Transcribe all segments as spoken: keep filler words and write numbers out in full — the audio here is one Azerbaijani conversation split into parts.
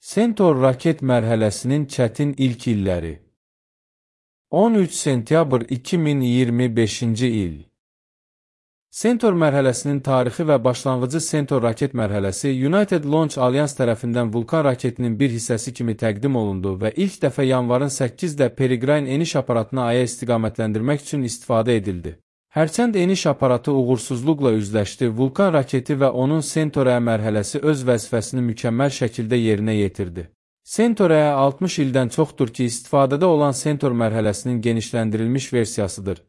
Centaur raket mərhələsinin çətin ilk illəri. on üç sentyabr iki min iyirmi beşinci il. Centaur mərhələsinin tarixi və başlanğıcı Centaur raket mərhələsi United Launch Alliance tərəfindən Vulkan raketinin bir hissəsi kimi təqdim olundu və ilk dəfə yanvarın səkkizdə Peregrine eniş aparatını Aya istiqamətləndirmək üçün istifadə edildi. Hərçənd eniş aparatı uğursuzluqla üzləşdi, Vulkan raketi və onun Centaur-A mərhələsi öz vəzifəsini mükəmməl şəkildə yerinə yetirdi. Centaur-A altmış ildən çoxdur ki, istifadədə olan Centaur mərhələsinin genişləndirilmiş versiyasıdır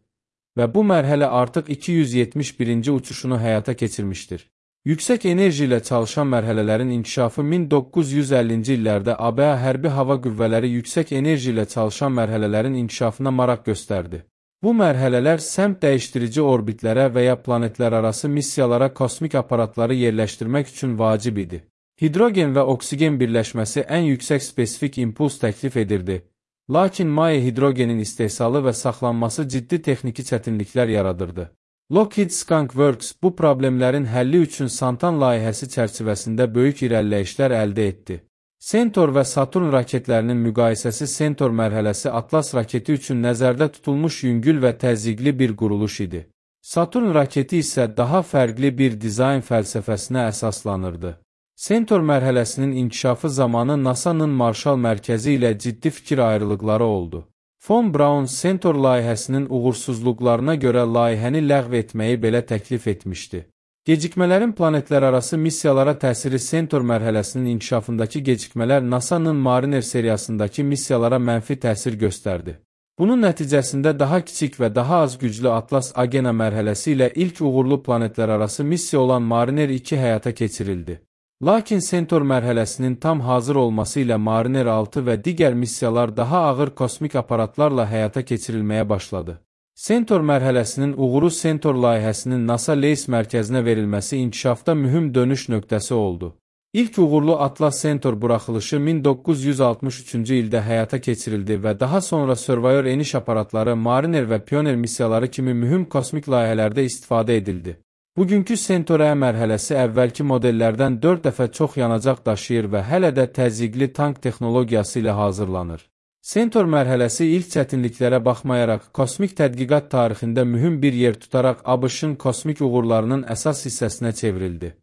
və bu mərhələ artıq iki yüz yetmiş birinci uçuşunu həyata keçirmişdir. Yüksək enerji ilə çalışan mərhələlərin inkişafı min doqquz yüz əllinci illərdə A B A hərbi hava qüvvələri yüksək enerji ilə çalışan mərhələlərin inkişafına maraq göstərdi. Bu mərhələlər səmt dəyişdirici orbitlərə və ya planetlərarası missiyalara kosmik aparatları yerləşdirmək üçün vacib idi. Hidrogen və oksigen birləşməsi ən yüksək spesifik impuls təklif edirdi. Lakin maye hidrogenin istehsalı və saxlanması ciddi texniki çətinliklər yaradırdı. Lockheed Skunk Works bu problemlərin həlli üçün Santan layihəsi çərçivəsində böyük irəliləyişlər əldə etdi. Centaur və Saturn raketlərinin müqayisəsi Centaur mərhələsi Atlas raketi üçün nəzərdə tutulmuş yüngül və təzyiqli bir quruluş idi. Saturn raketi isə daha fərqli bir dizayn fəlsəfəsinə əsaslanırdı. Centaur mərhələsinin inkişafı zamanı NASA-nın Marshall mərkəzi ilə ciddi fikir ayrılıqları oldu. Von Braun Centaur layihəsinin uğursuzluqlarına görə layihəni ləğv etməyi belə təklif etmişdi. Gecikmələrin planetlərarası missiyalara təsiri Centaur mərhələsinin inkişafındakı gecikmələr NASA-nın Mariner seriyasındakı missiyalara mənfi təsir göstərdi. Bunun nəticəsində daha kiçik və daha az güclü Atlas Agena mərhələsi ilə ilk uğurlu planetlərarası missiya olan Mariner iki həyata keçirildi. Lakin Centaur mərhələsinin tam hazır olması ilə Mariner altı və digər missiyalar daha ağır kosmik aparatlarla həyata keçirilməyə başladı. Centaur mərhələsinin uğuru Centaur layihəsinin NASA Lace mərkəzinə verilməsi inkişafda mühüm dönüş nöqtəsi oldu. İlk uğurlu Atlas Centaur buraxılışı min doqquz yüz altmış üçüncü ildə həyata keçirildi və daha sonra Surveyor eniş aparatları, Mariner və Pioneer missiyaları kimi mühüm kosmik layihələrdə istifadə edildi. Bugünkü Centaur-A mərhələsi əvvəlki modellərdən dörd dəfə çox yanacaq daşıyır və hələ də təzyiqli tank texnologiyası ilə hazırlanır. Centaur mərhələsi ilk çətinliklərə baxmayaraq kosmik tədqiqat tarixində mühüm bir yer tutaraq ABŞ-ın kosmik uğurlarının əsas hissəsinə çevrildi.